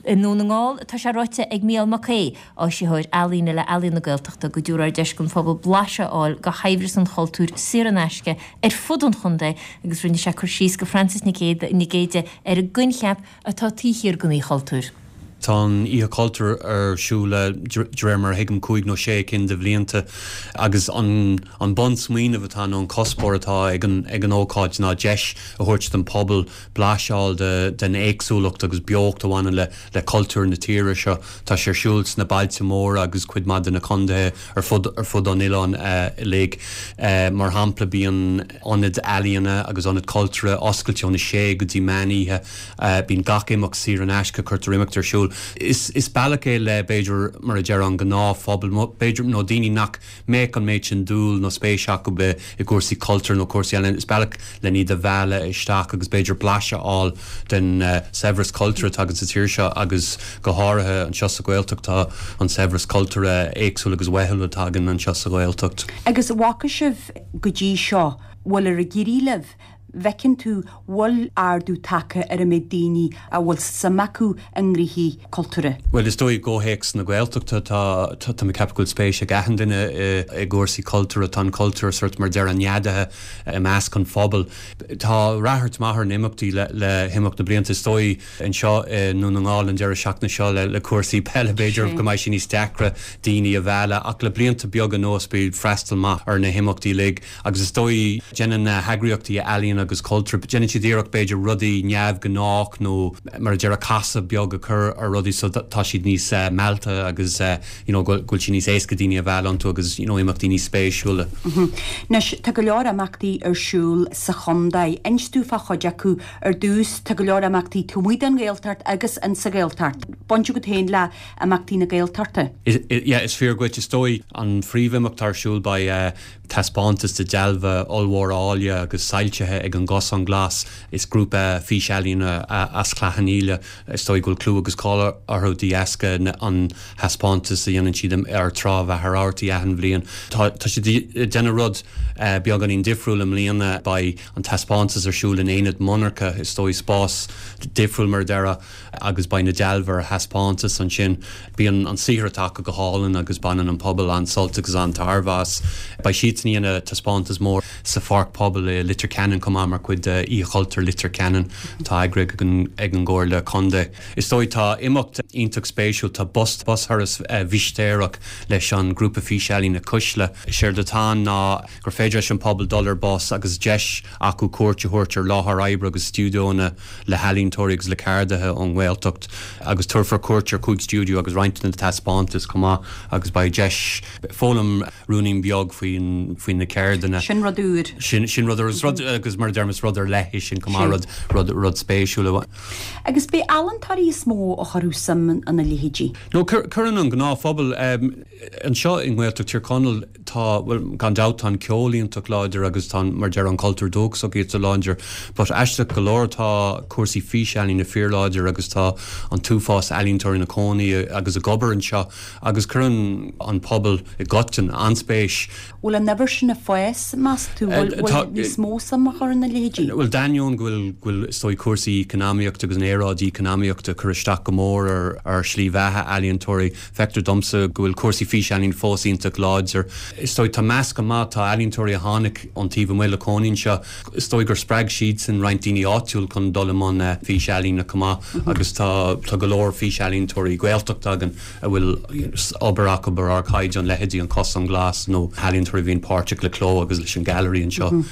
I nDún na nGall, tá sé ráite ag Mícheál Mac Aoidh, Áisitheoir Ealaíne le Ealaíon na Gaeltachta, go dtabharfar deis don phobal blaiseadh a fháil de shaibhreas an chultúir saor in aisce ar fud an chontae agus rinne sé cur síos do Frances Nic Géadaigh ar an gcoincheap atá taobh thiar den Oíche Chultúir. Tá an Oíche Chultúir ar siúl le, de réir mar a thuigim, cúig nó sé cinn de bhlianta agus an an bunsmaoineamh atá nó an cuspóir atá ag an ag an ócáid ná deis a thabhairt don phobal blaiseadh a fháil den éagsúlacht agus beocht a bhaineann le le cultúr na tíre seo. Tá sé ar siúl sna bailte móra agus cuid maith de na contaetha ar fud ar fud an oileáin uilig. Mar shampla, bíonn ionaid ealaíona agus ionaid cultúrtha oscailte óna sé go dtí meán oíche. Bíonn gach imeacht saor in aisce, cuirtear imeacht ar siúl. Is is bealach é le, b'fhéidir, mar a déarfá, an gnáthphobal, b'fhéidir, nó daoine nach mbeadh an méid sin dúil nó spéis acu i gcúrsaí cultúir nó cúrsaí ealaíon, is bealach len iad a mhealladh isteach agus b'fhéidir blaiseadh a fháil den saibhreas cultúrtha atá againn sa tír seo agus go háirithe anseo sa Ghaeltacht tá an saibhreas cultúrtha éagsúil agus uathúil atá againn anseo sa Ghaeltacht. Agus an bhfaca sibh go dtí seo, bhfuil ar ag éirí libh bhfeiceann tú bhfuil ardú tagtha ar an méid daoine a bhfuil suim acu i ngnóthaí cultúrtha? Bhuel, is dóigh i gcomhthéacs na Gaeltachta tá, tá mé ag ceapadh go bhfuil spéis ag achan duine i gcúrsaí cultúrtha. Tá an cultúr sort mar a déarfá neadaithe i measc an phobail. Tá ráchairt maith ar na himeachtaí le himeacht na blianta. Is dóigh anseo i nDún na nGall an deireadh seachtaine seo le cúrsaí peile b'fhéidir go mbeidh sé níos deacra daoine a mhealladh ach le blianta beaga anuas bíonn freastal maith ar na himeachtaí uilig. Agus is dóigh, déanann na heagraíochtaí ealaíon agus cultúir, déanann siad iarracht b'fhéidir rudaí neamhghnách nó mar a déarfá casadh beag a chur ar rudaí so tá siad níos meallta agus you know go bhfuil sé níos éasca daoine a mhealladh iontu agus you know imeachtaí níos spéisiúla. Anois, tá go leor imeachtaí ar siúl sa chontae. Inis dúinn fá chuid acu ar dtús. Tá go leor imeachtaí taobh amuigh den Ghaeltacht agus in sa Ghaeltacht. Baint agat féin le imeachtaí na Gaeltachta? Yeah, is fíor dhuit. Is dóigh an phríomhimeacht atá ar siúl beidh Taispeántas de dealbha ollmhóra áille agus soilsithe ag an gCosán Glas. Is grúpa físealaíne as Clach an Íle, is dóigh go bhfuil clú agus cáil orthu de dheasca an thaispeántas a dhéanann siad ar Trá Mhachaire Rabhartaigh achan bhliain. Tá siad ag déanamh rud beagáinín difriúil i mbliana, beidh an taispeántas ar siúl in aonad monarcha, is dóigh spás difriúil mar a déarfá. agus beidh na dealbha ar thaispeántas ansin. Bíonn an saothar atá acu go hálainn agus baineann an pobal an-sult agus an-tairbhe as. Beidh siadsan ag déanamh taispeántas mór sa Pháirc Pobail i Leitir Ceanainn chomh maith mar chuid de Oíche Chultúir Leitir Ceanainn atá eagraithe ag an gComhairle Contae. Is dóigh tá imeacht iontach spéisiúil, tá bus busthuras mhistéireach leis an ghrúpa físealaíne Cuisle. Séard atá ann ná gur féidir leis an pobal dul ar bus agus deis acu cuairt a thabhairt ar láthair oibre agus stiúideónna le healaíontóirí agus le ceardaithe ón nGaeltacht agus tabharfar cuairt ar chúig stiúideo agus roinnt de na taispeántais chomh maith agus beidh deis foghlaim ruainnín beag faoi na ceirdeanna. Sin rud úr. Sin, sin rud úr rud agus mar a deirim is rud ar leith é sin chomh maith, rud, rud, rud spéisiúil. Agus b'é ealaíontóirí is mó a chuirfeadh suim ina leithéidí. No, cuireann an gnáthphobal anseo i nGaeltacht Thír Chonaill, Tá, bhuel, gan dabht tá an ceol iontach láidir agus tá, mar a déarfá, an cultúr dúchasach iontach láidir but aisteach go leor tá cúrsaí físealaíne fíorláidir agus tá an t-uafás ealaíontóirí ina cónaí agus ag obair anseo agus cuireann an pobal i gcoiteann an-spéis. Bhfuil an uimhir sin ag fás, meas tú? Bhfuil, bhfuil níos mó suim á chur ina leithéidí? Bhuel, d'ainneoin go bhfuil, go bhfuil is dóigh cúrsaí eacnamaíochta agus an aeráid eacnamaíochta ag cur isteach go mór ar, ar shlí bheatha ealaíontóirí, Feictear domsa go bhfuil cúrsaí físealaíne fós iontach láidir. Is dóigh, tá meascán maith, tá ealaíontóirí a tháinig ón taobh amuigh le cónaí anseo, is dóigh gur spreag siadsan roinnt daoine áitiúil chun dul i mbun físealaíne chomh maith agus tá tá go leor físealaíontóirí Gaeltachta againn a bhfuil obair acu ar ardchaighdeán, leithéidí An Cosán Glas nó ealaíontóirí a bhíonn páirteach le Cló agus leis an Gailearaí anseo.